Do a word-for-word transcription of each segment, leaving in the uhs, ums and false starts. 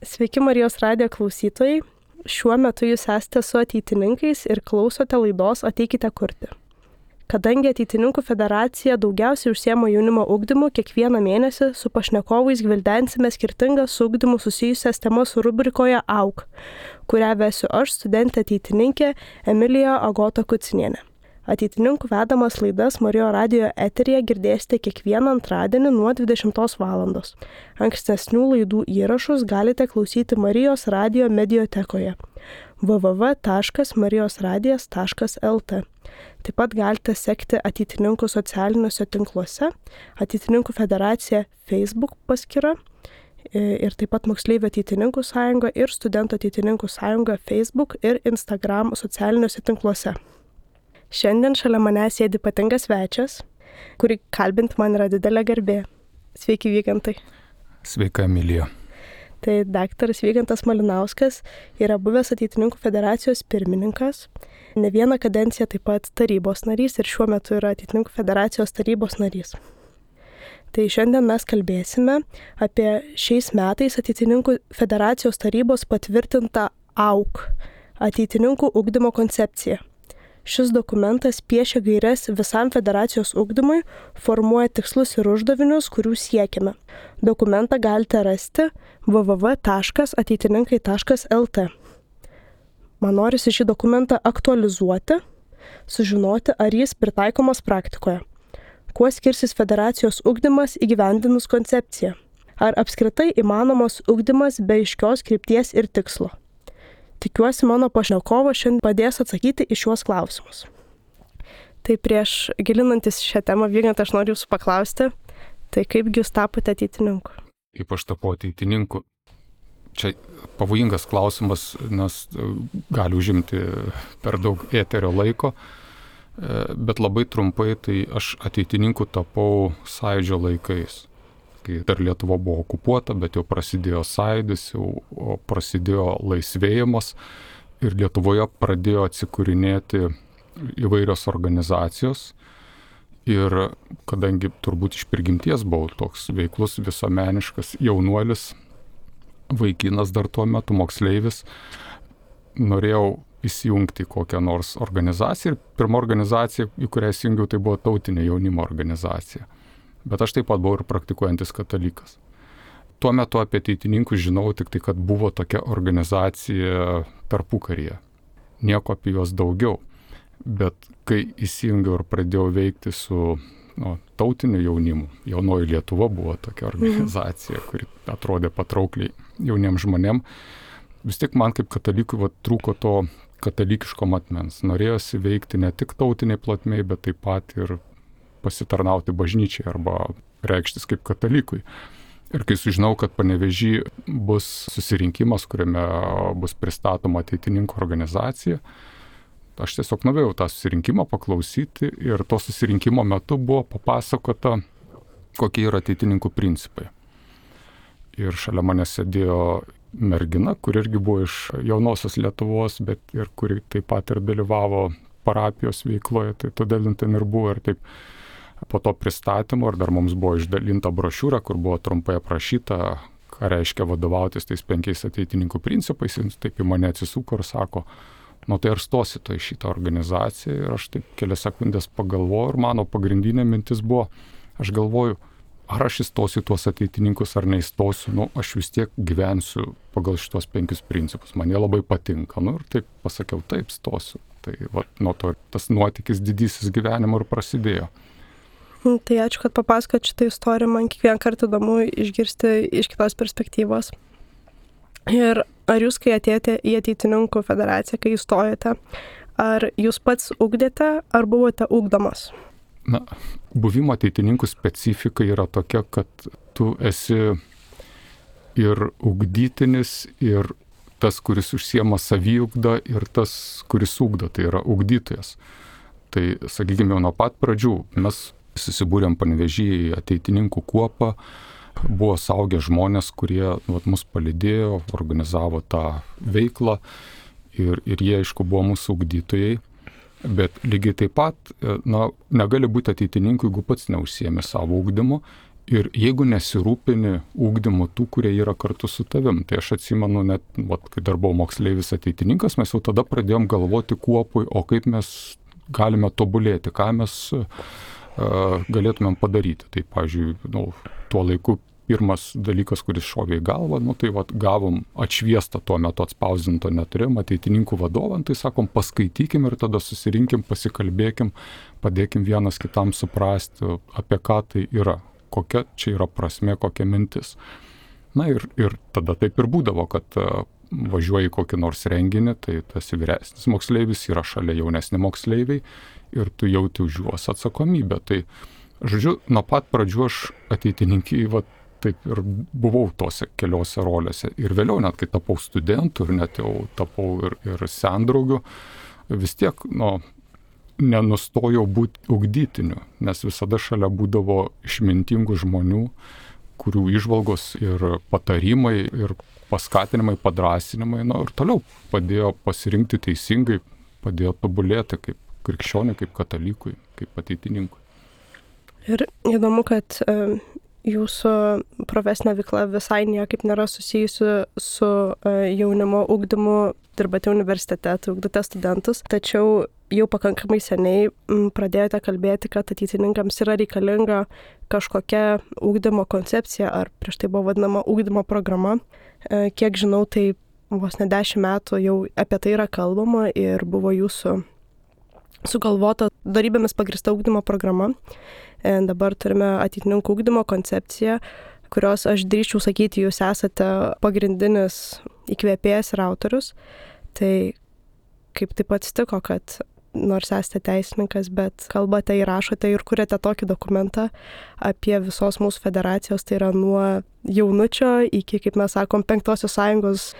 Sveiki Marijos radijo klausytojai. Šiuo metu jūs esate su ateitininkais ir klausote laidos Ateikite kurti. Kadangi Ateitininkų federacija daugiausiai užsiema jaunimo ugdymu, kiekvieną mėnesį su pašnekovais gvildensime skirtingas su ugdymu susijusias temas rubrikoje Auk, kurią vesiu aš, studentė ateitininkė Emilija Agota Kucinienė. Ateitininkų vedamas laidas Marijo radijo eteryje girdėsite kiekvieną antradienį nuo dvidešimtos valandos. Ankstesnių laidų įrašus galite klausyti Marijos radijo mediotekoje w w w taškas marijos radijas taškas l t. Taip pat galite sekti Ateitininkų socialiniuose tinkluose, Ateitininkų federacija Facebook paskyra ir taip pat Moksleivių ateitininkų sąjunga ir Studentų ateitininkų sąjunga Facebook ir Instagram socialiniuose tinkluose. Šiandien šalia manęs sėdi ypatingas svečias, kurį kalbinti man yra didelė garbė. Sveiki, Vygantai. Sveika, Emilija. Tai daktaras Vygantas Malinauskas yra buvęs Ateitininkų federacijos pirmininkas, ne vieną kadenciją taip pat tarybos narys ir šiuo metu yra Ateitininkų federacijos tarybos narys. Tai šiandien mes kalbėsime apie šiais metais Ateitininkų federacijos tarybos patvirtintą Auk, Ateitininkų ugdymo koncepciją. Šis dokumentas piešia gaires visam federacijos ugdymui, formuoja tikslus ir uždavinius, kurių siekiame. Dokumentą galite rasti w w w taškas ateitininkai taškas l t. Man norisi šį dokumentą aktualizuoti, sužinoti, ar jis pritaikomas praktikoje. Kuo skirsis federacijos ugdymas įgyvendinus koncepciją? Ar apskritai įmanomas ugdymas be aiškios krypties ir tikslo? Tikiuosi, mano pašnekovas šiandien padės atsakyti į šiuos klausimus. Tai prieš gilinantis šią temą, Vygantai, aš noriu jūsų paklausti, tai kaipgi jūs tapote ateitininku? Kaip aš tapau ateitininku? Čia pavojingas klausimas, nes gali užimti per daug eterio laiko, bet labai trumpai, tai aš ateitininku tapau Sąjūdžio laikais. Kai dar Lietuva buvo okupuota, bet jau prasidėjo Sąjūdis, jau prasidėjo laisvėjimas ir Lietuvoje pradėjo atsikūrinėti įvairios organizacijos. Ir kadangi turbūt iš prigimties buvau toks veiklus, visuomeniškas jaunuolis, vaikinas dar tuo metu, moksleivis, norėjau įsijungti kokią nors organizaciją. Ir pirma organizacija, į kurią įsijungiau, tai buvo tautinė jaunimo organizacija. Bet aš taip pat buvau ir praktikuojantis katalikas. Tuo metu apie ateitininkus žinau tik tai, kad buvo tokia organizacija tarpukaryje. Nieko apie juos daugiau. Bet kai įsijungiau ir pradėjau veikti su nu, tautiniu jaunimu, Jaunoji Lietuva buvo tokia organizacija, kuri atrodė patraukliai jauniems žmonėm, vis tik man kaip katalikui va, trūko to katalikiško matmens. Norėjosi veikti ne tik tautiniai plotmei, bet taip pat ir pasitarnauti bažnyčiai arba reikštis kaip katalikui. Ir kai sužinau, kad Panevėžy bus susirinkimas, kuriame bus pristatoma ateitininkų organizacija, aš tiesiog norėjau tą susirinkimą paklausyti ir to susirinkimo metu buvo papasakota, kokie yra ateitininkų principai. Ir šalia mane sėdėjo mergina, kuri irgi buvo iš jaunosios Lietuvos, bet ir kuri taip pat ir dalyvavo parapijos veikloje, tai todėl ten ir buvo ir taip. Po to pristatymo ir dar mums buvo išdalinta brošiūra, kur buvo trumpai aprašyta, ką reiškia vadovautis tais penkiais ateitininkų principais. Jis taip į mane atsisuko ir sako, nu tai ar stosi to į šitą organizaciją? Ir aš taip kelias sekundės pagalvojau ir mano pagrindinė mintis buvo, aš galvoju, ar aš įstosiu tuos ateitininkus ar neįstosiu, nu aš vis tiek gyvensiu pagal šitos penkius principus. Man jie labai patinka. Nu ir taip pasakiau, taip stosiu. Tai va, nuo to tas nuotykis didysis gyvenimo ir prasidėjo. Tai ačiū, kad papasakot šitą istoriją, man kiekvieną kartą įdomu išgirsti iš kitos perspektyvos. Ir ar jūs, kai atėjote į Ateitininkų federaciją, kai įstojate, ar jūs pats ugdėte, ar buvote ugdomas? Na, buvimo ateitininkų specifika yra tokia, kad tu esi ir ugdytinis, ir tas, kuris užsiema saviugdą, ir tas, kuris ugdo, tai yra ugdytojas. Tai, sakykime, nuo pat pradžių mes susibūrėm Panevėžy į ateitininkų kuopą, buvo saugę žmonės, kurie nu, mus palydėjo, organizavo tą veiklą ir, ir jie, aišku, buvo mūsų ugdytojai. Bet lygiai taip pat, na, negali būti ateitininku, jeigu pats neužsiemi savo ugdymu Ir jeigu nesirūpini ugdymu tų, kurie yra kartu su tavim, tai aš atsimenu net, vat, kai dar buvau moksleivis ateitininkas, mes jau tada pradėjom galvoti kuopui, o kaip mes galime tobulėti, ką mes uh, galėtumėm padaryti. Tai, pavyzdžiui, nu, tuo laiku pirmas dalykas, kuris šovė į galvą, nu, tai vat, gavom atšviestą tuo metu atspausdinto neturėjom ateitininkų vadovą, tai sakom, paskaitykim ir tada susirinkim, pasikalbėkim, padėkim vienas kitam suprasti, apie ką tai yra. Kokia čia yra prasmė, kokia mintis. Na ir, ir tada taip ir būdavo, kad uh, važiuoji kokį nors renginį, tai tas vyresnis moksleivis yra šalia jaunesni moksleiviai ir tu jauti už juos atsakomybę. Tai, žodžiu, nuo pat pradžių aš ateitininkiai, va, taip ir buvau tose keliose rolėse. Ir vėliau, net kai tapau studentų ir net jau tapau ir, ir sendraugiu, vis tiek, nu, nenustojau būti ugdytiniu, nes visada šalia būdavo išmintingų žmonių, kurių įžvalgos ir patarimai, ir paskatinimai, padrasinimai, na ir toliau padėjo pasirinkti teisingai, padėjo tobulėti kaip krikščioniui, kaip katalikui, kaip ateitininkui. Ir įdomu, kad e, jūsų profesinė veikla visai niekaip nėra susijusi su e, jaunimo ugdymu, dirbate universitete, tai ugdote studentus, tačiau jau pakankamai seniai m, pradėjote kalbėti, kad ateitininkams yra reikalinga kažkokia ugdymo koncepcija, ar prieš tai buvo vadinama ugdymo programa. E, kiek žinau, tai vos ne dešimt metų jau apie tai yra kalbama ir buvo jūsų sugalvota darybėmis pagrįsta ugdymo programa. E, dabar turime ateitininkų ugdymo koncepciją, kurios aš drįsčiau sakyti, jūs esate pagrindinis įkvėpėjas ir autorius. Tai kaip taip atsitiko, kad nors esate teisininkas, bet kalbate ir rašote ir kuriate tokį dokumentą apie visos mūsų federacijos, tai yra nuo jaunučio iki, kaip mes sakom, penktosios sąjungos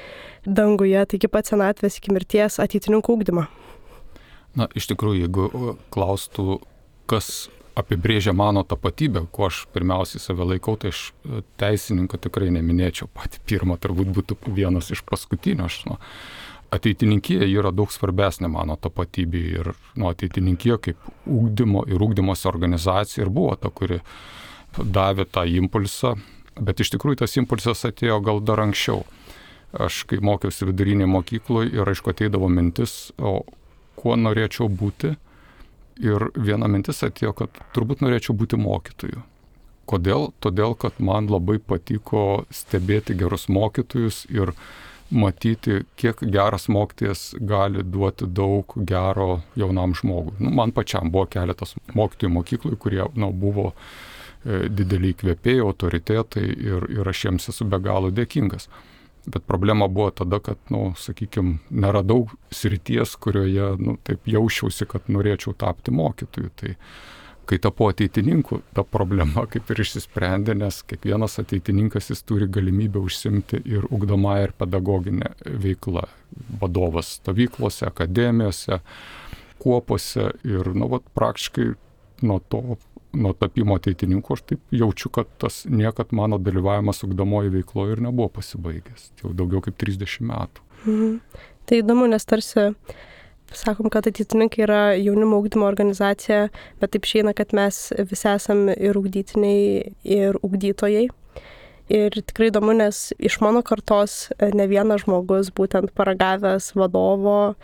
danguje, tai iki pat senatvės, iki mirties ateitininkų ugdymą. Na, iš tikrųjų, jeigu klaustų, kas apibrėžia mano tapatybę, kuo aš pirmiausiai save laikau, tai aš teisininką tikrai neminėčiau. Pati pirma turbūt būtų vienas iš paskutinių. Aš, nu, ateitininkija yra daug svarbesnė mano tapatybė ir nu, ateitininkija kaip ugdymo ir ugdymosi organizacija ir buvo ta, kuri davė tą impulsą, bet iš tikrųjų tas impulsas atėjo gal dar anksčiau. Aš kai mokiausi vidurinėje mokykloje ir aišku ateidavo mintis, o kuo norėčiau būti. Ir viena mintis atėjo, kad turbūt norėčiau būti mokytoju. Kodėl? Todėl, kad man labai patiko stebėti gerus mokytojus ir matyti, kiek geras mokytojas gali duoti daug gero jaunam žmogui. Nu, man pačiam buvo keletas mokytojų mokyklų, kurie nu, buvo e, dideliai įkvėpėjai, autoritetai ir, ir aš jiems esu be galo dėkingas. Bet problema buvo tada, kad, nu, sakykime, neradau srities, kurioje, nu, taip jausčiausi, kad norėčiau tapti mokytoju. Tai kai tapau ateitininku, ta problema kaip ir išsisprendė, nes kiekvienas ateitininkas jis turi galimybę užsimti ir ugdomąją ir pedagoginę veiklą. Vadovas stovyklose, akademijose, kuopose ir, nu, vat, praktiškai nuo to, nuo tapimo ateitininku aš taip jaučiu, kad tas niekad mano dalyvavimas ugdomoje veikloje ir nebuvo pasibaigęs. Jau daugiau kaip trisdešimt metų. Mhm. Tai įdomu, nes tarsi sakom, kad ateitininkai yra jaunimo ugdymo organizacija, bet taip išeina, kad mes visi esam ir ugdytiniai, ir ugdytojai. Ir tikrai įdomu, nes iš mano kartos ne vienas žmogus, būtent paragavęs vadovo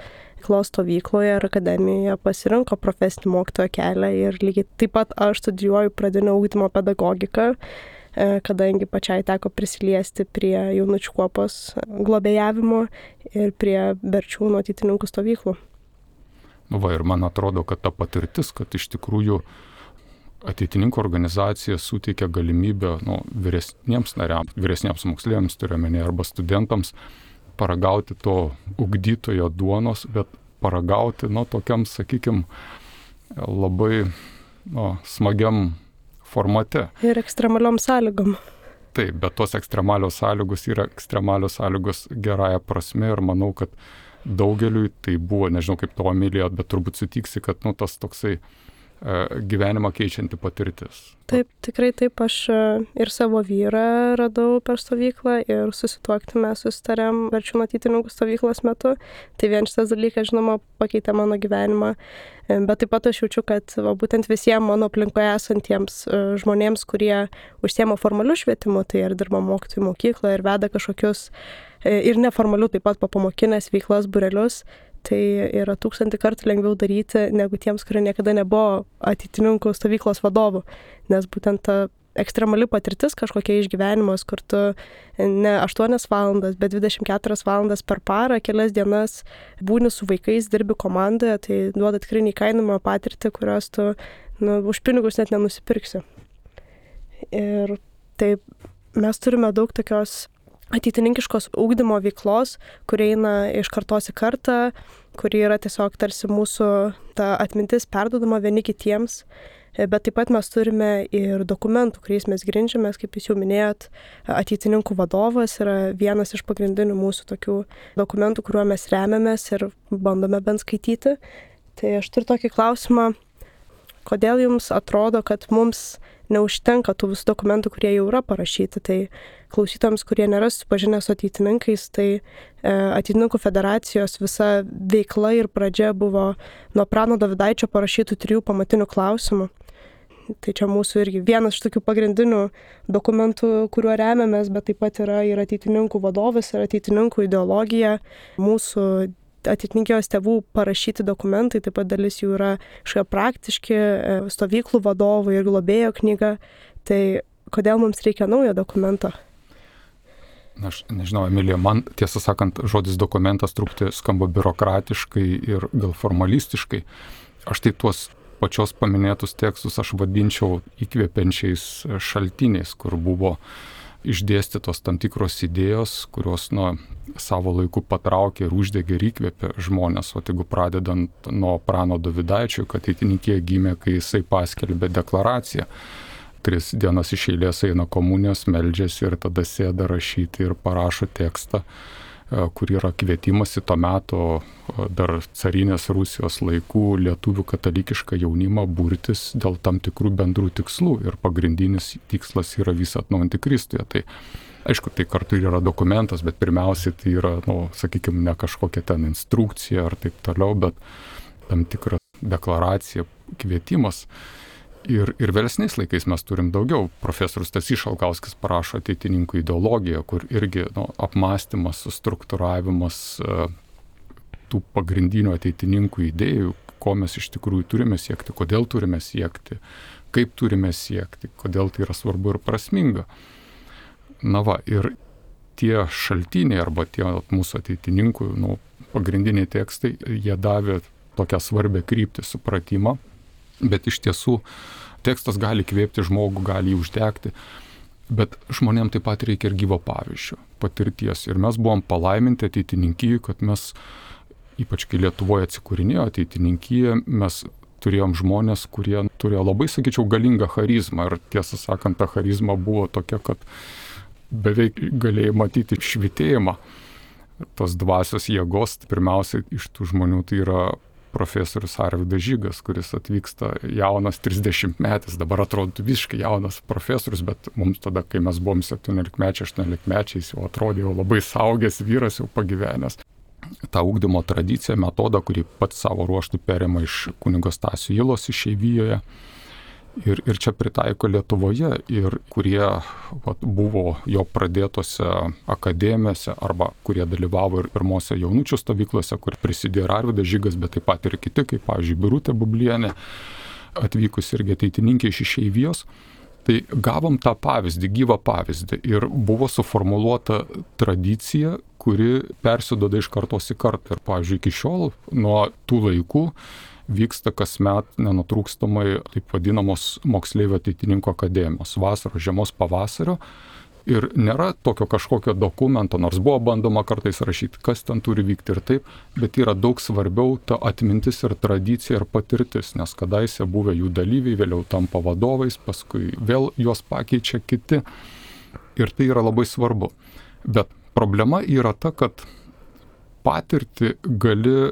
veiklos stovykloje ir akademijoje, pasirinko profesinį mokytojo kelią ir lygiai taip pat aš studijuoju pradinio ugdymo pedagogiką, kadangi pačiai teko prisiliesti prie jaunučių kuopos globėjavimo ir prie Berčiūnų ateitininkų stovyklų. Nu va, ir man atrodo, kad ta patirtis, kad iš tikrųjų ateitininkų organizacija suteikia galimybę nu, vyresniems nariams, vyresniems moksleiviams turiuomenė arba studentams paragauti to ugdytojo duonos, bet paragauti, nu, tokiam, sakykime, labai nu, smagiam formate. Ir ekstremaliom sąlygom. Taip, bet tos ekstremalios sąlygos yra ekstremalios sąlygos gerąją prasme ir manau, kad daugeliui tai buvo, nežinau kaip to Emilija, bet turbūt sutiksi, kad nu, tas toksai gyvenimą keičianti patirtis. Taip, tikrai taip, aš ir savo vyrą radau per stovyklą ir susituokti mes susitarėm Verčiūnų ateitininkų stovyklos metu. Tai vien šitas dalykas, žinoma, pakeitė mano gyvenimą, bet taip pat aš jaučiu, kad va, būtent visiems mano aplinkoje esantiems žmonėms, kurie užsiema formaliu švietimu, tai ir dirba mokytojų mokykloje ir veda kažkokius ir neformaliu taip pat papamokinės veiklas, būrelius, tai yra tūkstantį kartų lengviau daryti negu tiems, kurie niekada nebuvo ateitininkų stovyklos vadovų. Nes būtent ta ekstremali patirtis kažkokia išgyvenimas, kur tu ne aštuonias valandas, bet dvidešimt keturias valandas per parą, kelias dienas būni su vaikais, dirbi komandoje, tai duoda tikrai neįkainojamą patirtį, kurios tu nu, už pinigus net nenusipirksi. Ir taip mes turime daug tokios ateitininkiškos ugdymo veiklos, kuri eina iš kartos į kartą, kuri yra tiesiog tarsi mūsų ta atmintis perduodama vieni kitiems, bet taip pat mes turime ir dokumentų, kuriais mes grindžiamės, kaip jūs jau minėjot, ateitininkų vadovas yra vienas iš pagrindinių mūsų tokių dokumentų, kuriuo mes remiamės ir bandome bent skaityti. Tai aš turiu tokį klausimą, kodėl jums atrodo, kad mums neužtenka tų visų dokumentų, kurie jau yra parašyti. Tai klausytojams, kurie nėra susipažinę su ateitininkais, tai e, ateitininkų federacijos visa veikla ir pradžia buvo nuo Prano Dovydaičio parašytų trijų pamatinių klausimų. Tai čia mūsų irgi vienas iš tokių pagrindinių dokumentų, kuriuo remiamės, bet taip pat yra ir ateitininkų vadovas, ir ateitininkų ideologija, mūsų ateitininkijos tėvų parašyti dokumentai, taip pat dalis jų yra kažkokie praktiški, stovyklų vadovai ir globėjo knyga. Tai kodėl mums reikia naujo dokumento? Aš nežinau, Emilija, man tiesą sakant, žodis dokumentas truputį skamba biurokratiškai ir gal formalistiškai. Aš tai tuos pačios paminėtus tekstus aš vadinčiau įkvepiančiais šaltiniais, kur buvo išdėstytos tam tikros idėjos, kurios nuo savo laiku patraukė ir uždegė ir įkvėpė žmonės. O jeigu pradedant nuo Prano Dovydaičio, kad ateitininkija gimė, kai jisai paskelbė deklaraciją. Tris dienas iš eilės eina komunijos, meldžiasi ir tada sėda rašyti ir parašo tekstą, kur yra kvietimas į to meto dar carinės Rusijos laikų lietuvių katalikišką jaunimą burtis dėl tam tikrų bendrų tikslų. Ir pagrindinis tikslas yra visą atnaujinti Kristuje. Tai aišku, tai kartu yra dokumentas, bet pirmiausiai tai yra, nu, sakykime, ne kažkokia ten instrukcija ar taip toliau, bet tam tikra deklaracija, kvietimas. Ir, ir vėlesniais laikais mes turim daugiau. Profesorius Stasys Šalkauskis parašo ateitininkų ideologiją, kur irgi nu, apmąstymas, struktūravimas tų pagrindinių ateitininkų idėjų, ko mes iš tikrųjų turime siekti, kodėl turime siekti, kaip turime siekti, kodėl tai yra svarbu ir prasminga. Na va, ir tie šaltiniai arba tie mūsų ateitininkų nu, pagrindiniai tekstai, jie davė tokią svarbę kryptį, supratimą. Bet iš tiesų tekstas gali kvėpti žmogų, gali jį uždegti, bet žmonėm taip pat reikia ir gyvo pavyzdžio, patirties. Ir mes buvom palaiminti ateitininkijai, kad mes, ypač kai Lietuvoje atsikūrinėjo ateitininkija, mes turėjom žmonės, kurie turėjo labai, sakyčiau, galingą charizmą. Ir tiesą sakant, ta charizma buvo tokia, kad beveik galėjai matyti švytėjimą tos dvasios jėgos. Pirmiausia, iš tų žmonių tai yra profesorius Arvydas Žygas, kuris atvyksta jaunas trisdešimtmetis, dabar atrodo visiškai jaunas profesorius, bet mums tada, kai mes buvom septyniolikmečiai, aštuoniolikmečiai, jis jau atrodė jau labai saugęs vyras, jau pagyvenęs. Ta ugdymo tradicija, metodą, kurį pats savo ruoštų perėmė iš kunigo Stasio Ylos išeivijoje ir, ir čia pritaiko Lietuvoje ir kurie vat, buvo jo pradėtose akademijose arba kurie dalyvavo ir pirmose jaunučių stovyklose, kur prisidėjo ir Arvydas Žygas, bet taip pat ir kiti, kaip pavyzdžiui Birutė Bublienė, atvykus irgi ateitininkė iš išeivijos. Tai gavom tą pavyzdį, gyvą pavyzdį ir buvo suformuluota tradicija, kuri persiduoda iš kartos į kartą. Ir pavyzdžiui, iki šiol nuo tų laikų vyksta kasmet nenutrūkstamai taip vadinamos moksleivių ateitininkų akademijos, vasaros, žiemos, pavasario. Ir nėra tokio kažkokio dokumento, nors buvo bandoma kartais rašyti, kas ten turi vykti ir taip, bet yra daug svarbiau ta atmintis ir tradicija ir patirtis, nes kadaise buvę jų dalyviai vėliau tampa vadovais, paskui vėl juos pakeičia kiti. Ir tai yra labai svarbu. Bet problema yra ta, kad patirtį gali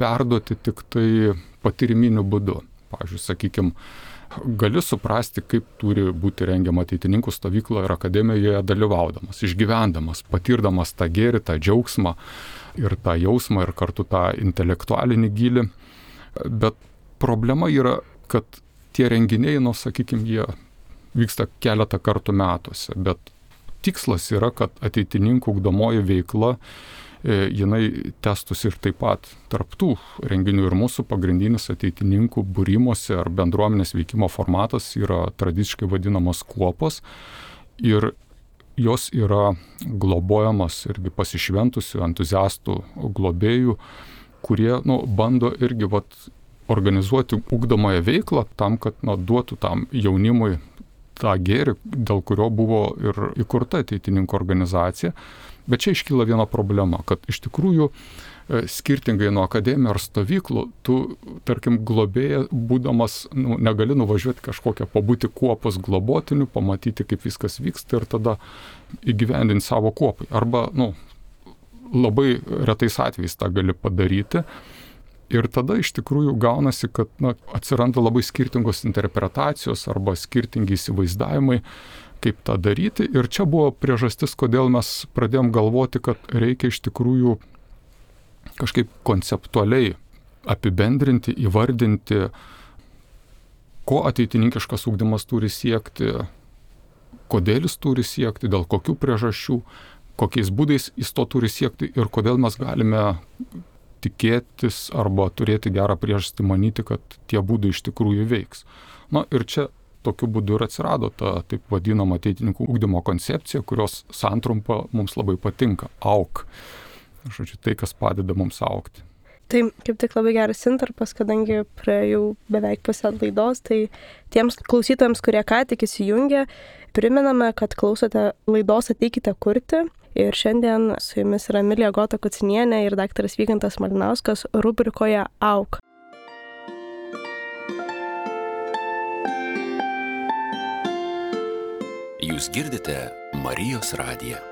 perduoti tik tai patyriminiu būdu. Pavyzdžiui, sakykime, gali suprasti, kaip turi būti rengiama ateitininkų stovykla ir akademijoje dalyvaudamas, išgyvendamas, patirdamas tą gėrį, tą džiaugsmą ir tą jausmą ir kartu tą intelektualinį gylį. Bet problema yra, kad tie renginiai, nu, sakykime, jie vyksta keletą kartų metuose, bet tikslas yra, kad ateitininkų ugdomoji veikla, e, jinai tęstųsi ir taip pat tarp tų renginių. Ir mūsų pagrindinis ateitininkų būrimosi ar bendruomenės veikimo formatas yra tradiciškai vadinamos kuopos ir jos yra globojamos irgi pasišventusių entuziastų globėjų, kurie, nu, bando irgi vat, organizuoti ugdomąją veiklą tam, kad, nu, duotų tam jaunimui tą gėrį, dėl kurio buvo ir įkurta ateitininkų organizacija. Bet čia iškyla viena problema, kad iš tikrųjų skirtingai nuo akademijų ar stovyklų, tu, tarkim, globėja, būdamas, nu, negali nuvažiuoti kažkokią, pabūti kuopos globotiniu, pamatyti, kaip viskas vyksta ir tada įgyvendinti savo kuopai. Arba, nu, labai retais atvejais tą gali padaryti. Ir tada iš tikrųjų gaunasi, kad, na, atsiranda labai skirtingos interpretacijos arba skirtingi įsivaizdavimai, kaip tą daryti. Ir čia buvo priežastis, kodėl mes pradėjom galvoti, kad reikia iš tikrųjų kažkaip konceptualiai apibendrinti, įvardinti, ko ateitininkiškas ugdymas turi siekti, kodėl jis turi siekti, dėl kokių priežasčių, kokiais būdais jis to turi siekti ir kodėl mes galime tikėtis arba turėti gerą priežastį manyti, kad tie būdai iš tikrųjų veiks. Na ir čia tokiu būdu ir atsirado ta taip vadinama ateitininkų ugdymo koncepcija, kurios santrumpa mums labai patinka – auk. Žodžiu, tai, kas padeda mums aukti. Tai kaip tik labai geras intarpas, kadangi praėjau beveik pusę laidos, tai tiems klausytojams, kurie ką tik įsijungė, priminame, kad klausote laidos Ateikite kurti. Ir šiandien su jumis yra Emilija Gota Kucinienė ir daktaras Vygantas Malinauskas rubrikoje Auk. Jūs girdite Marijos radiją.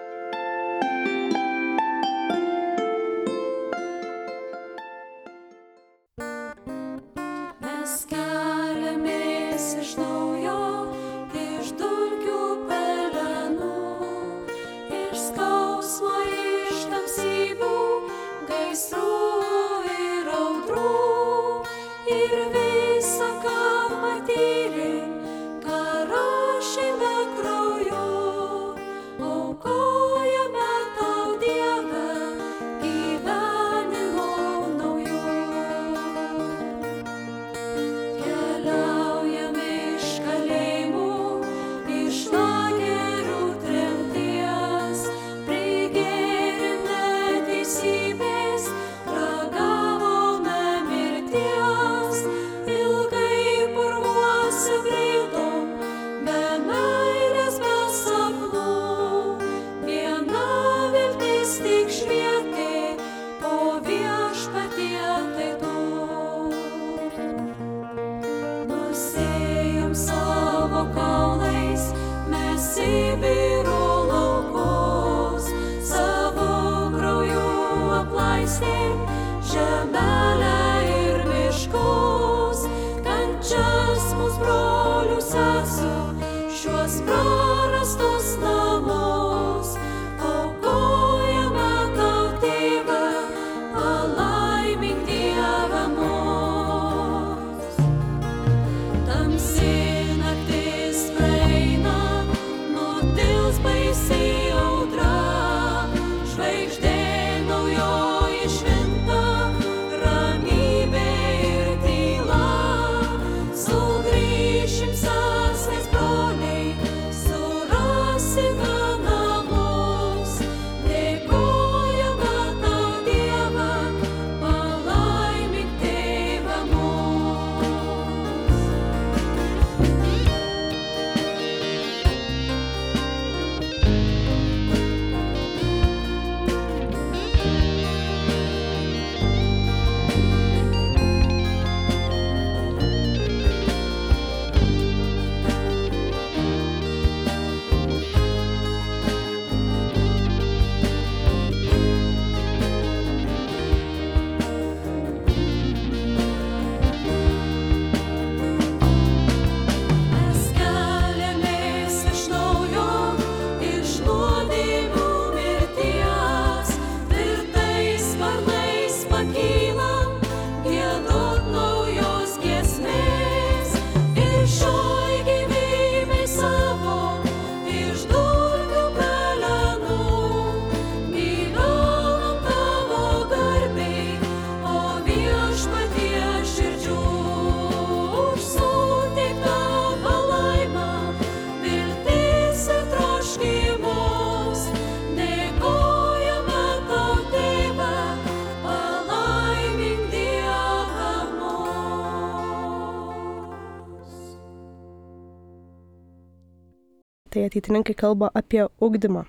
tai ateitininkai kalba apie ugdymą.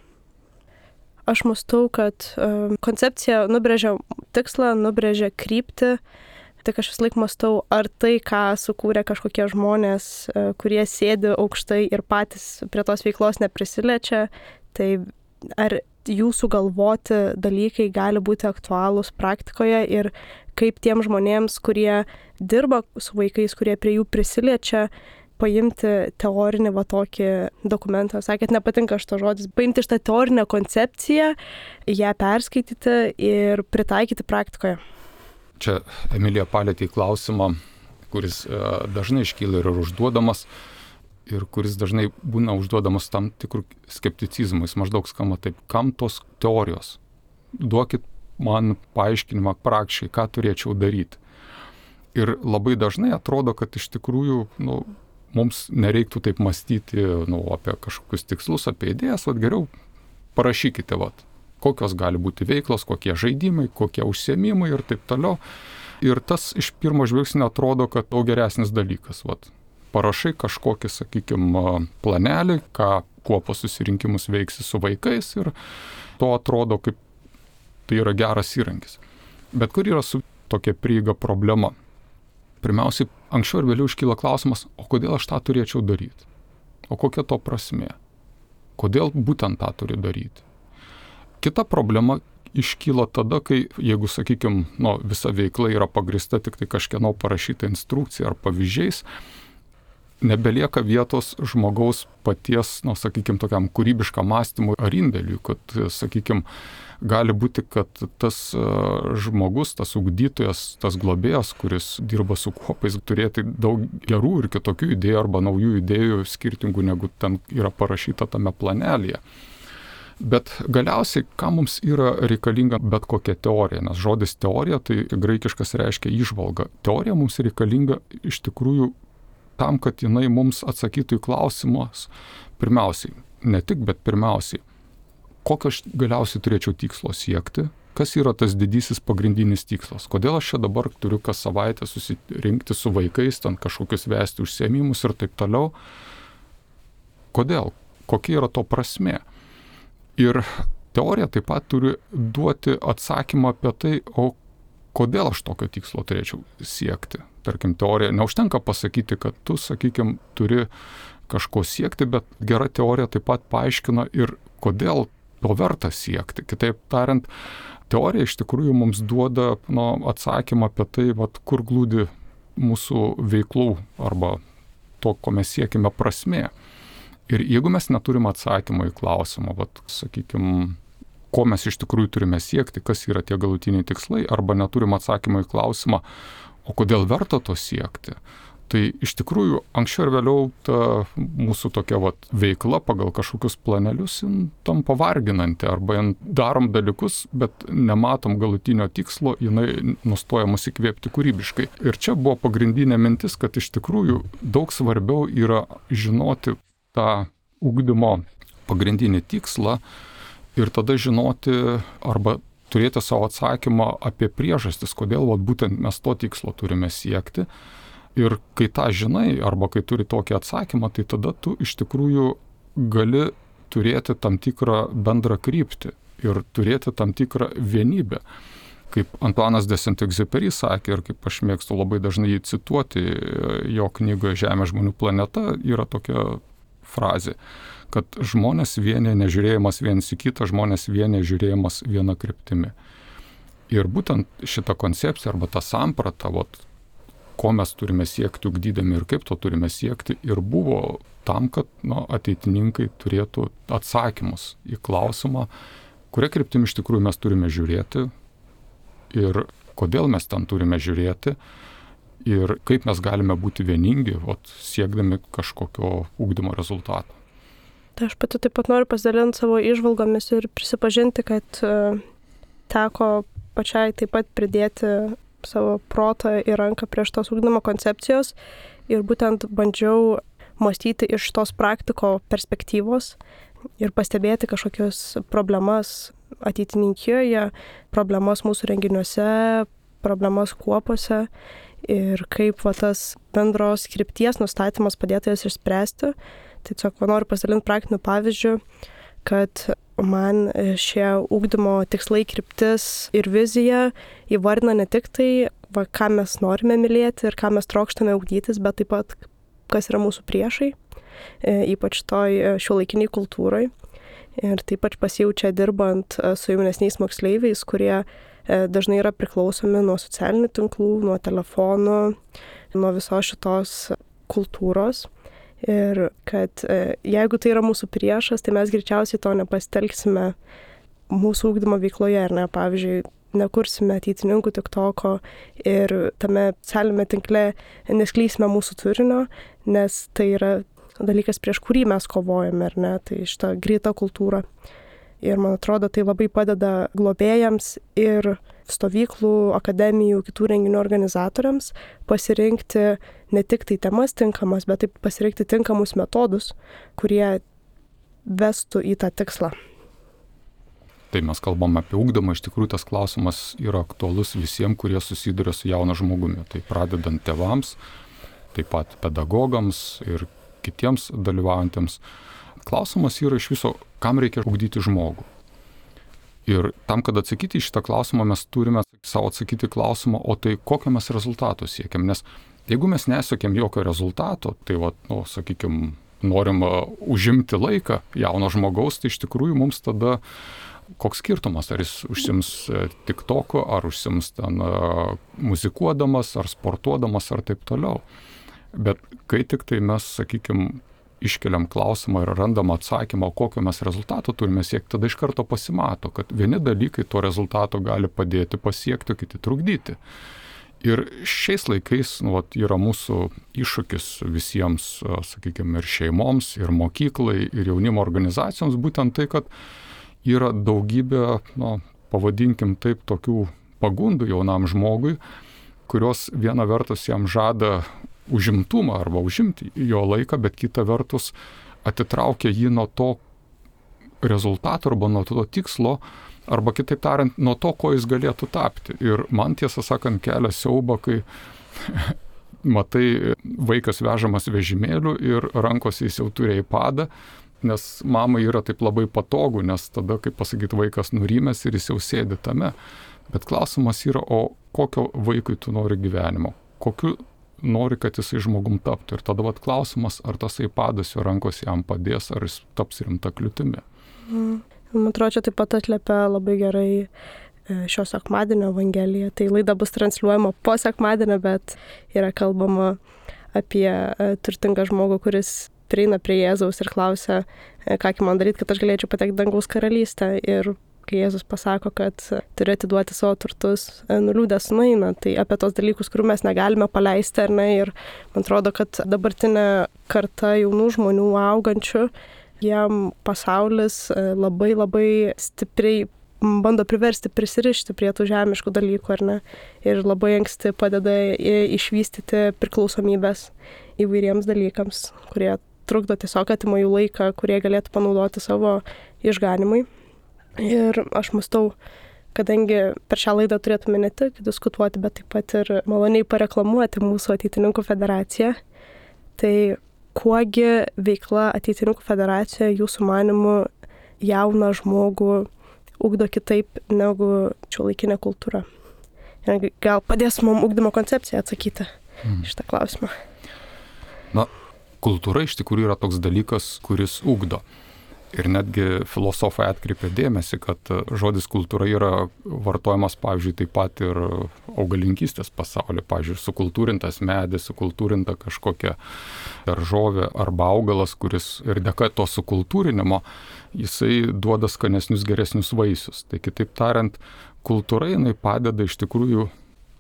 Aš mąstau, kad uh, koncepcija nubrėžia tikslą, nubrėžia kryptį. Tik aš vis laik mąstau, ar tai, ką sukūrė kažkokie žmonės, uh, kurie sėdi aukštai ir patys prie tos veiklos neprisiliečia, tai ar jų sugalvoti dalykai gali būti aktualūs praktikoje ir kaip tiem žmonėms, kurie dirba su vaikais, kurie prie jų prisiliečia, paimti teorinį va tokį dokumentą. Sakėt, nepatinka šito žodis. Paimti šitą teorinę koncepciją, ją perskaityti ir pritaikyti praktikoje. Čia Emilija palėtė į klausimą, kuris dažnai iškyla ir užduodamas, ir kuris dažnai būna užduodamas tam tikrų skepticizmų. Jis maždaug skamba taip, kam tos teorijos? Duokit man paaiškinimą praktiškai, ką turėčiau daryti. Ir labai dažnai atrodo, kad iš tikrųjų, nu, mums nereiktų taip mąstyti nu, apie kažkokius tikslus, apie idėjas, vat geriau parašykite, vat, kokios gali būti veiklos, kokie žaidimai, kokie užsiėmimai ir taip toliau. Ir tas iš pirmo žvilgsnio atrodo, kad daug geresnis dalykas. Vat, parašai kažkokį, sakykime, planelį, ką, kuo po susirinkimus veiksi su vaikais ir to atrodo, kaip tai yra geras įrankis. Bet kur yra su tokia prieiga problema? Pirmiausiai, anksčiau ir vėliau iškyla klausimas, o kodėl aš tą turėčiau daryti? O kokia to prasmė? Kodėl būtent tą turi daryti? Kita problema iškyla tada, kai, jeigu, sakykime, nu, visa veikla yra pagrįsta tik tai kažkieno parašyta instrukcija ar pavyzdžiais, nebelieka vietos žmogaus paties, nu, sakykime, tokiam kūrybiškam mąstymui ar indėliui, kad, sakykime, gali būti, kad tas žmogus, tas ugdytojas, tas globėjas, kuris dirba su kuopais, turėti daug gerų ir kitokių idėjų arba naujų idėjų skirtingų, negu ten yra parašyta tame planelėje. Bet galiausiai, ką mums yra reikalinga bet kokia teorija, nes žodis teorija, tai graikiškas reiškia įžvalga. Teorija mums reikalinga iš tikrųjų tam, kad jinai mums atsakytų į klausimus, pirmiausiai, ne tik, bet pirmiausiai, kokio aš galiausiai turėčiau tikslo siekti, kas yra tas didysis pagrindinis tikslas, kodėl aš čia dabar turiu kas savaitę susirinkti su vaikais, ten kažkokius vesti užsiėmimus ir taip toliau. Kodėl? Kokia yra to prasmė? Ir teorija taip pat turi duoti atsakymą apie tai, o kodėl aš tokio tikslo turėčiau siekti. Tarkim, teorija, neužtenka pasakyti, kad tu, sakykime, turi kažko siekti, bet gera teorija taip pat paaiškina ir kodėl to verta siekti. Kitaip tariant, teorija iš tikrųjų mums duoda nu, atsakymą apie tai, vat, kur glūdi mūsų veiklų arba to, ko mes siekime prasmė. Ir jeigu mes neturim atsakymą į klausimą, vat, sakykime, ko mes iš tikrųjų turime siekti, kas yra tie galutiniai tikslai, arba neturim atsakymą į klausimą, o kodėl verta to siekti, tai iš tikrųjų anksčiau ir vėliau ta mūsų tokia vat, veikla pagal kažkokius planelius tampa varginanti, arba darom dalykus, bet nematom galutinio tikslo, jinai nustoja mus įkvėpti kūrybiškai. Ir čia buvo pagrindinė mintis, kad iš tikrųjų daug svarbiau yra žinoti tą ugdymo pagrindinį tikslą ir tada žinoti arba turėti savo atsakymą apie priežastis, kodėl vat, būtent mes to tikslo turime siekti. Ir kai tą žinai, arba kai turi tokį atsakymą, tai tada tu iš tikrųjų gali turėti tam tikrą bendrą kryptį ir turėti tam tikrą vienybę. Kaip Antuanas de Saint-Exupéry sakė, ir kaip aš mėgstu labai dažnai jį cituoti, jo knygoje Žemė žmonių planeta yra tokia frazė, kad žmonės vienė nežiūrėjimas vienas į kitą, žmonės vienė žiūrėjimas viena kryptimi. Ir būtent šitą koncepciją arba tą sampratą, vat, ko mes turime siekti ugdydami ir kaip to turime siekti, ir buvo tam, kad nu, ateitininkai turėtų atsakymus į klausimą, kuria kryptimi iš tikrųjų mes turime žiūrėti ir kodėl mes ten turime žiūrėti ir kaip mes galime būti vieningi, vat, siekdami kažkokio ugdymo rezultato. Tai aš pati taip pat noriu pasidalinti savo įžvalgomis ir prisipažinti, kad teko pačiai taip pat pridėti savo protą į ranką prieš tos ugdymo koncepcijos ir būtent bandžiau mąstyti iš tos praktiko perspektyvos ir pastebėti kažkokias problemas ateitininkijoje, problemas mūsų renginiuose, problemas kuopose ir kaip va, tas bendros krypties nustatymas padėtų jas išspręsti. Tiesiog noriu pasidalinti praktiniu pavyzdžiu, kad man šie ugdymo tikslai, kryptis ir vizija įvardina ne tik tai, va, ką mes norime mylėti ir ką mes trokštame ugdytis, bet taip pat, kas yra mūsų priešai, ypač toj šiuolaikiniai kultūrai. Ir taip pat pasijaučia dirbant su jaunesniais moksleiviais, kurie dažnai yra priklausomi nuo socialinių tinklų, nuo telefonų, nuo visos šitos kultūros. Ir kad jeigu tai yra mūsų priešas, tai mes greičiausiai to nepasitelksime mūsų ugdymo veikloje, ar ne, pavyzdžiui, nekursime ateitininkų tiktoko ir tame socialinėme tinkle nesklysime mūsų turinio, nes tai yra dalykas, prieš kurį mes kovojame, ar ne, tai šita greita kultūra. Ir man atrodo, tai labai padeda globėjams ir stovyklų, akademijų, kitų renginių organizatoriams pasirinkti ne tik tai temas tinkamas, bet taip pasirinkti tinkamus metodus, kurie vestų į tą tikslą. Tai mes kalbam apie ugdymą, iš tikrųjų tas klausimas yra aktualus visiems, kurie susiduria su jaunu žmogumi. Tai pradedant tėvams, taip pat pedagogams ir kitiems dalyvaujantiems. Klausimas yra iš viso, kam reikia ugdyti žmogų. Ir tam, kad atsakyti į šitą klausimą, mes turime savo atsakyti klausimą, o tai kokio mes rezultato siekiam. Nes jeigu mes nesiekėm jokio rezultato, tai, va, nu, sakykime, norim užimti laiką jauno žmogaus, tai iš tikrųjų mums tada koks skirtumas, ar jis užsims TikTok'u, ar užsims ten muzikuodamas, ar sportuodamas, ar taip toliau. Bet kai tik tai mes, sakykime, iškeliam klausimą ir randam atsakymą, kokio mes rezultato turime siekti, tada iš karto pasimato, kad vieni dalykai to rezultato gali padėti pasiekti, kiti trukdyti. Ir šiais laikais nu, vat, yra mūsų iššūkis visiems, sakykime, ir šeimoms, ir mokyklai, ir jaunimo organizacijoms, būtent tai, kad yra daugybė, nu, pavadinkim taip, tokių pagundų jaunam žmogui, kurios viena vertus jam žada užimtumą arba užimti jo laiką, bet kita vertus atitraukia jį nuo to rezultato arba nuo to tikslo, arba kitaip tariant, nuo to, ko jis galėtų tapti. Ir man tiesą sakant kelia siaubą, kai matai vaikas vežamas vežimėliu ir rankose jis jau turi iPadą, nes mamai yra taip labai patogu, nes tada, kaip pasakyti, vaikas nurimęs ir jis jau sėdi tame. Bet klausimas yra, o kokio vaikui tu nori gyvenimo? Kokiu nori, kad jisai žmogum taptų. Ir tada vat klausimas, ar tas iPadas jo rankos jam padės, ar jis taps rimta kliūtimi. Mm. Man atrodo, čia taip pat atliepia labai gerai šio sekmadienio Evangelija. Tai laida bus transliuojama po sekmadienio, bet yra kalbama apie turtingą žmogų, kuris prieina prie Jėzaus ir klausia, ką man daryti, kad aš galėčiau patekti dangaus karalystę. Ir kai Jėzus pasako, kad turi atiduoti savo turtus, nuliūdęs nueina. Tai apie tos dalykus, kurių mes negalime paleisti, ar ne. Ir man atrodo, kad dabartinė karta jaunų žmonių augančių, jiem pasaulis labai labai stipriai bando priversti prisirišti prie tų žemiškų dalykų, ar ne. Ir labai anksti padeda išvystyti priklausomybės įvairiems dalykams, kurie trukdo tiesiog atima jų laiką, kurie galėtų panaudoti savo išganimui. Ir aš mąstau, kadangi per šią laidą turėtume ne tik diskutuoti, bet taip pat ir maloniai pareklamuoti mūsų ateitininkų federaciją, tai kuogi veikla ateitininkų federacijoje jūsų manymu jauną žmogų ugdo kitaip negu šiuolaikinė kultūra? Ir gal padės mums ugdymo koncepcija atsakyti mm. šitą klausimą? Na, kultūra iš tikrųjų yra toks dalykas, kuris ugdo. Ir netgi filosofai atkreipia dėmesį, kad žodis kultūra yra vartojamas, pavyzdžiui, taip pat ir augalinkystės pasaulyje. Pavyzdžiui, sukultūrintas medis, sukultūrinta kažkokia daržovė arba augalas, kuris ir dėka to sukultūrinimo, jisai duoda skanesnius, geresnius vaisius. Tai kitaip tariant, kultūra jinai padeda iš tikrųjų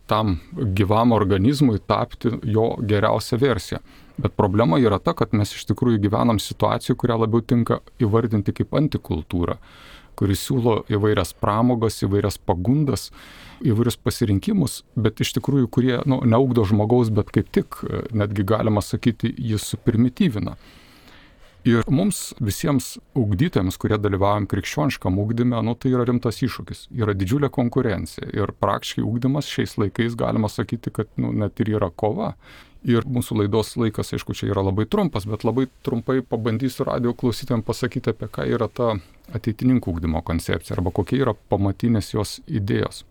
tam gyvam organizmui tapti jo geriausią versiją. Bet problema yra ta, kad mes iš tikrųjų gyvenam situacijų, kurią labiau tinka įvardinti kaip antikultūrą, kuris siūlo įvairias pramogas, įvairias pagundas, įvairius pasirinkimus, bet iš tikrųjų, kurie nu, neugdo žmogaus, bet kaip tik, netgi galima sakyti, jis suprimityvina. Ir mums visiems ugdytojams, kurie dalyvaujam krikščioniškam ugdyme, nu, tai yra rimtas iššūkis, yra didžiulė konkurencija ir praktiškai ugdymas šiais laikais galima sakyti, kad nu, net ir yra kova. Ir mūsų laidos laikas, aišku, čia yra labai trumpas, bet labai trumpai pabandysiu radijo klausytojams pasakyti, apie ką yra ta ateitininkų ugdymo koncepcija arba kokie yra pamatinės jos idėjos.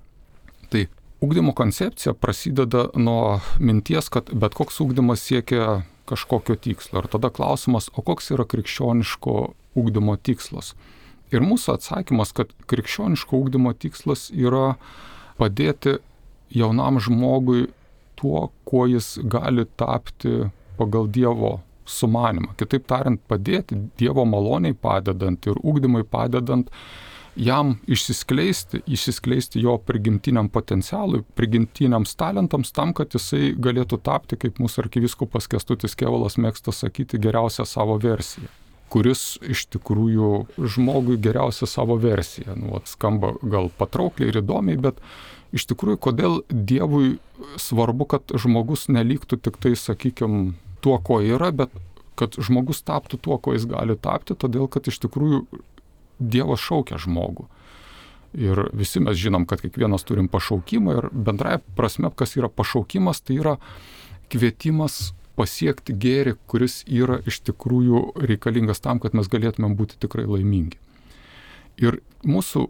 Tai ugdymo koncepcija prasideda nuo minties, kad bet koks ugdymas siekia kažkokio tikslo. Ir tada klausimas, o koks yra krikščioniško ugdymo tikslas? Ir mūsų atsakymas, kad krikščioniško ugdymo tikslas yra padėti jaunam žmogui tuo, kuo jis gali tapti pagal Dievo sumanimą. Kitaip tariant, padėti Dievo maloniai padedant ir ugdymui padedant jam išsiskleisti, išsiskleisti jo prigimtiniam potencialui, prigimtiniams talentams tam, kad jisai galėtų tapti, kaip mūsų arkivyskupas Kęstutis Kėvalas mėgsta sakyti, geriausią savo versiją. Kuris iš tikrųjų žmogui geriausia savo versija. Nu, skamba gal patraukliai ir įdomiai, bet iš tikrųjų, kodėl Dievui svarbu, kad žmogus neliktų tik tai, sakykime, tuo, ko yra, bet kad žmogus taptų tuo, ko jis gali tapti, todėl kad iš tikrųjų Dievas šaukia žmogų. Ir visi mes žinom, kad kiekvienas turim pašaukimą ir bendrai prasme, kas yra pašaukimas, tai yra kvietimas pasiekti gėrį, kuris yra iš tikrųjų reikalingas tam, kad mes galėtumėm būti tikrai laimingi. Ir mūsų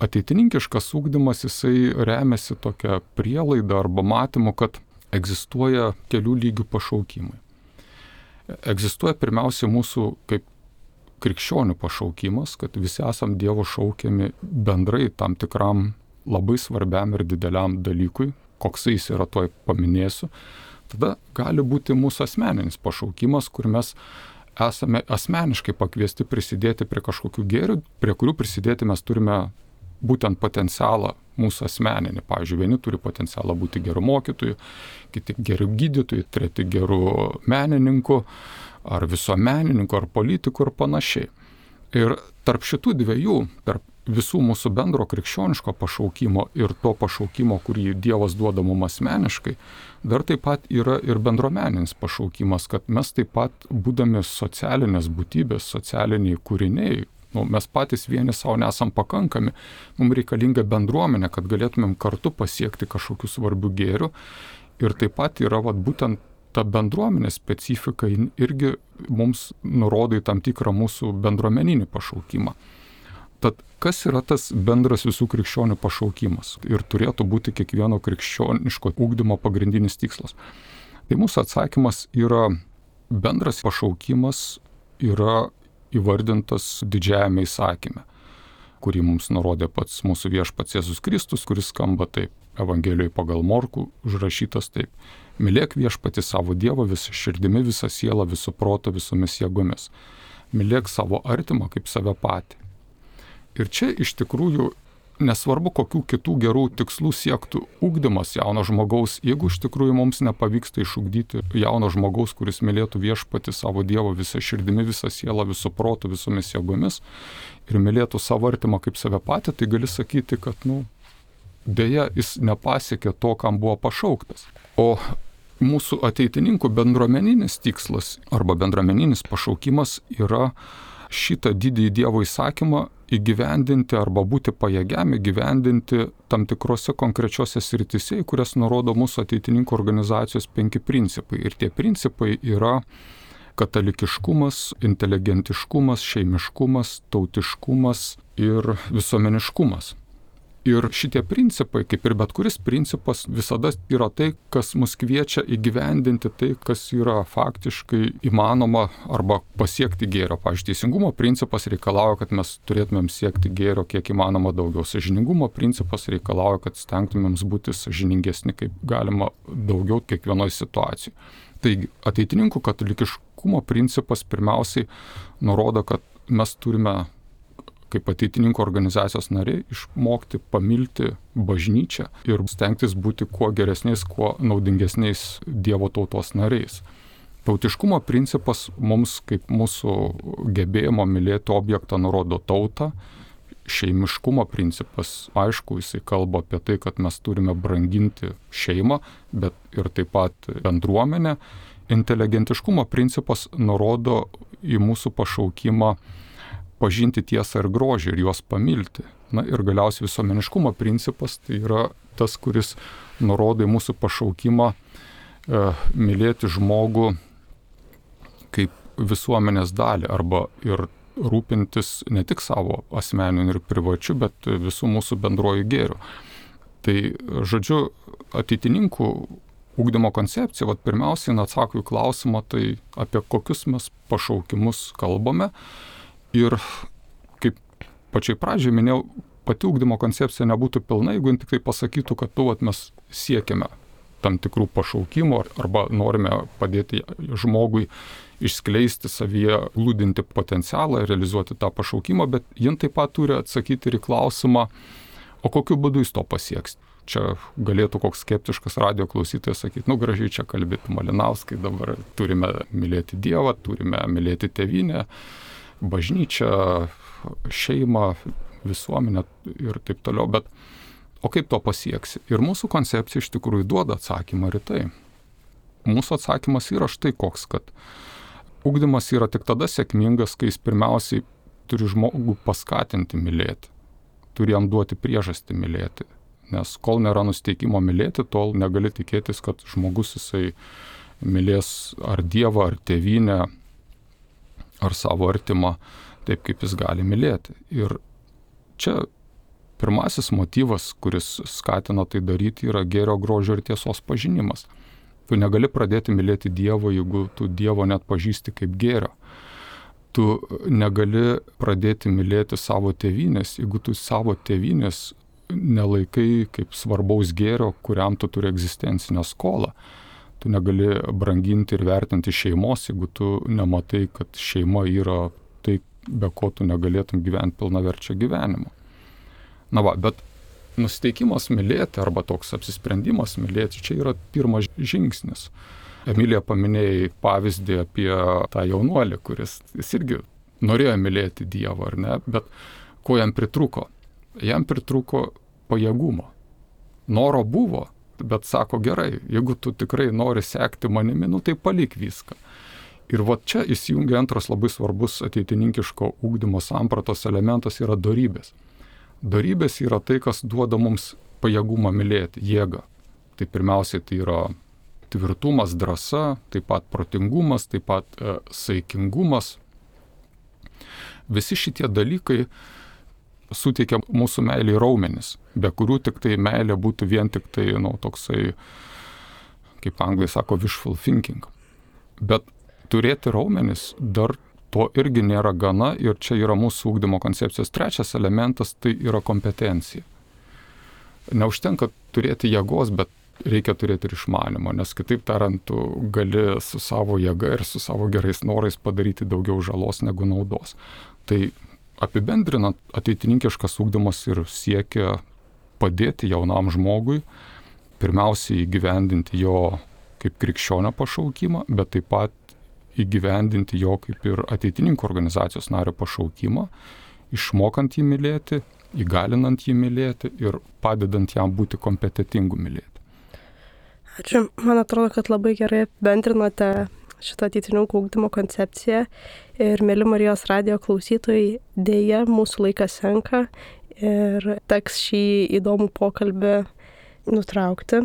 ateitininkiškas ugdymas, jisai remiasi tokia prielaida arba matymu, kad egzistuoja kelių lygių pašaukimai. Egzistuoja pirmiausia mūsų kaip krikščionių pašaukimas, kad visi esam Dievo šaukiami bendrai tam tikram labai svarbiam ir dideliam dalykui, koksai jis yra, toj paminėsiu. Tada gali būti mūsų asmeninis pašaukimas, kur mes esame asmeniškai pakviesti prisidėti prie kažkokių gėrių, prie kurių prisidėti mes turime būtent potencialą mūsų asmeninį. Pavyzdžiui, vieni turi potencialą būti gerų mokytojų, kiti gerų gydytojų, treti gerų menininkų, ar visuomenininkų, ar politikų ir panašiai. Ir tarp šitų dviejų, tarp visų mūsų bendro krikščioniško pašaukimo ir to pašaukimo, kurį Dievas duoda mums asmeniškai, dar taip pat yra ir bendruomeninis pašaukimas, kad mes taip pat, būdami socialinės būtybės, socialiniai kūriniai, nu, mes patys vieni savo nesam pakankami, mums reikalinga bendruomenė, kad galėtumėm kartu pasiekti kažkokių svarbių gėrių. Ir taip pat yra vat, būtent ta bendruomenės specifika irgi mums nurodo į tam tikrą mūsų bendruomeninį pašaukimą. Tad kas yra tas bendras visų krikščionių pašaukimas ir turėtų būti kiekvieno krikščioniško ugdymo pagrindinis tikslas? Tai mūsų atsakymas yra bendras pašaukimas yra įvardintas didžiajame įsakyme, kurį mums nurodė pats mūsų viešpats Jėzus Kristus, kuris skamba taip, Evangelijoje pagal Morkų užrašytas taip: mylėk viešpatį savo Dievą visą širdimi, visą sielą, visų proto, visomis jėgomis. Mylėk savo artimą kaip save patį. Ir čia iš tikrųjų nesvarbu, kokių kitų gerų tikslų siektų ugdymas jauno žmogaus, jeigu iš tikrųjų mums nepavyksta išugdyti jauno žmogaus, kuris mylėtų viešpatį savo Dievą visą širdimi, visą sielą, visų protų, visomis jėgomis ir mylėtų savo artimą kaip save patį, tai gali sakyti, kad, nu, dėja, jis nepasiekė to, kam buvo pašauktas. O mūsų ateitininkų bendruomeninis tikslas arba bendruomeninis pašaukimas yra šitą didįjį Dievo įsakymą įgyvendinti arba būti pajėgiam įgyvendinti tam tikrose konkrečiose srityse, į kurias nurodo mūsų ateitininkų organizacijos penki principai. Ir tie principai yra katalikiškumas, inteligentiškumas, šeimiškumas, tautiškumas ir visuomeniškumas. Ir šitie principai, kaip ir bet kuris principas, visada yra tai, kas mus kviečia įgyvendinti tai, kas yra faktiškai įmanoma arba pasiekti gėrio. Pavyzdžiui, teisingumo principas reikalauja, kad mes turėtumėm siekti gėrio kiek įmanoma daugiau. Sąžiningumo principas reikalauja, kad stengtumėm būti sąžiningesni kaip galima daugiau kiekvienoje situacijoje. Taigi, ateitininkų katalikiškumo principas pirmiausiai nurodo, kad mes turime kaip ateitininkų organizacijos nariai išmokti pamilti bažnyčią ir stengtis būti kuo geresniais, kuo naudingesniais Dievo tautos nariais. Tautiškumo principas mums kaip mūsų gebėjimo mylėti objektą nurodo tautą. Šeimiškumo principas, aišku, jisai kalba apie tai, kad mes turime branginti šeimą, bet ir taip pat bendruomenę. inteligentiškumo principas nurodo į mūsų pašaukimą pažinti tiesą ir grožį ir juos pamilti. Na ir galiausiai visuomeniškumo principas tai yra tas, kuris nurodo į mūsų pašaukimą e, mylėti žmogų kaip visuomenės dalį arba ir rūpintis ne tik savo asmeniniu ir privačiu, bet visų mūsų bendruoju gėriu. Tai, žodžiu, ateitininkų ugdymo koncepcija, vat, pirmiausiai atsako į klausimą, tai apie kokius mes pašaukimus kalbame. Ir kaip pačiai pradžiai minėjau, pati ugdymo koncepcija nebūtų pilna, jeigu tik tai pasakytų, kad tu, vat, mes siekiame tam tikrų pašaukimų arba norime padėti žmogui išskleisti savyje glūdinti potencialą ir realizuoti tą pašaukimą, bet jin taip pat turi atsakyti ir į klausimą, o kokiu būdu jis to pasieks. Čia galėtų koks skeptiškas radijo klausytojas sakyti, nu gražiai čia kalbėtų Malinauskai, dabar turime mylėti Dievą, turime mylėti tėvynę, bažnyčią, šeimą, visuomenę ir taip toliau, bet o kaip to pasieksi? Ir mūsų koncepcija iš tikrųjų duoda atsakymą ir tai. Mūsų atsakymas yra štai koks, kad ugdymas yra tik tada sėkmingas, kai jis pirmiausiai turi žmogų paskatinti mylėti, turi jam duoti priežastį mylėti. Nes kol nėra nusteikimo mylėti, tol negali tikėtis, kad žmogus jisai mylės ar Dievą, ar tėvynę, ar savo artimą taip, kaip jis gali mylėti. Ir čia pirmasis motyvas, kuris skatina tai daryti, yra gėrio, grožio ir tiesos pažinimas. Tu negali pradėti mylėti Dievo, jeigu tu Dievo net pažįsti kaip gėrio. Tu negali pradėti mylėti savo tėvynės, jeigu tu savo tėvynės nelaikai kaip svarbaus gėrio, kuriam tu turi egzistencinę skolą. Tu negali branginti ir vertinti šeimos, jeigu tu nematai, kad šeima yra tai, be ko tu negalėtum gyventi pilnaverčio gyvenimo. Na va, bet nusiteikimas mylėti arba toks apsisprendimas mylėti, čia yra pirmas žingsnis. Emilija paminėjai pavyzdį apie tą jaunuolį, kuris jis irgi norėjo mylėti Dievą, ar ne, bet ko jam pritruko? Jam pritruko pajėgumo. Noro buvo, bet sako gerai, jeigu tu tikrai nori sekti manimi, nu tai palik viską. Ir va čia įsijungia antras labai svarbus ateitininkiško ugdymo sampratos elementas yra dorybės. Dorybės yra tai, kas duoda mums pajėgumą mylėti, jėgą. Tai pirmiausiai tai yra tvirtumas, drąsa, taip pat protingumas, taip pat e, saikingumas. Visi šitie dalykai suteikia mūsų meilį raumenis, be kurių tik tai meilė būtų vien tik tai, nu, toksai, kaip anglai sako, wishful thinking. Bet turėti raumenis dar to irgi nėra gana ir čia yra mūsų ugdymo koncepcijos trečias elementas, tai yra kompetencija. Neužtenka turėti jėgos, bet reikia turėti ir išmanymą, nes kitaip tariant, tu gali su savo jėga ir su savo gerais norais padaryti daugiau žalos negu naudos. Tai apibendrinant, ateitininkiškas ugdymas ir siekia padėti jaunam žmogui, pirmiausiai įgyvendinti jo kaip krikščionio pašaukimą, bet taip pat įgyvendinti jo kaip ir ateitininkų organizacijos nario pašaukimą, išmokant jį mylėti, įgalinant jį mylėti ir padedant jam būti kompetentingu mylėti. Ačiū. Man atrodo, kad labai gerai apibendrinote šitą ateitininkų ugdymo koncepciją ir, mėly Marijos radijo klausytojai, dėja mūsų laikas senka ir teks šį įdomų pokalbį nutraukti.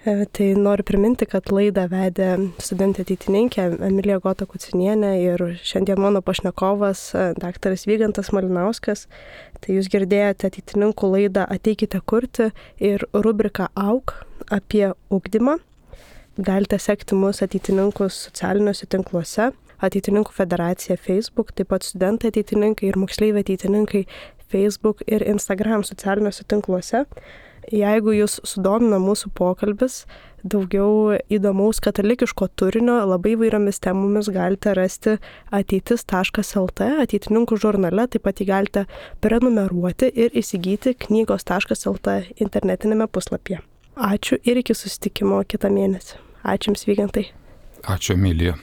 Tai noriu priminti, kad laidą vedė studentė ateitininkė Emilija Gota Kucinienė ir šiandien mano pašnekovas daktaras Vygantas Malinauskas. Tai jūs girdėjote ateitininkų laidą Ateikite kurti ir rubriką Auk apie ugdymą. Galite sekti mus ateitininkus socialiniuose tinkluose, Ateitininkų federacija Facebook, taip pat studentai ateitininkai ir moksleiviai ateitininkai Facebook ir Instagram socialiniuose tinkluose. Jeigu jūs sudomina mūsų pokalbis, daugiau įdomaus katalikiško turinio labai įvairiomis temomis galite rasti ateitis taškas lt, ateitininkų žurnale, taip pat jį galite prenumeruoti ir įsigyti knygos taškas lt internetinėme puslapyje. Ačiū ir iki susitikimo kitą mėnesį. Ačiū Jums, Vygantai. Ačiū, Emilija.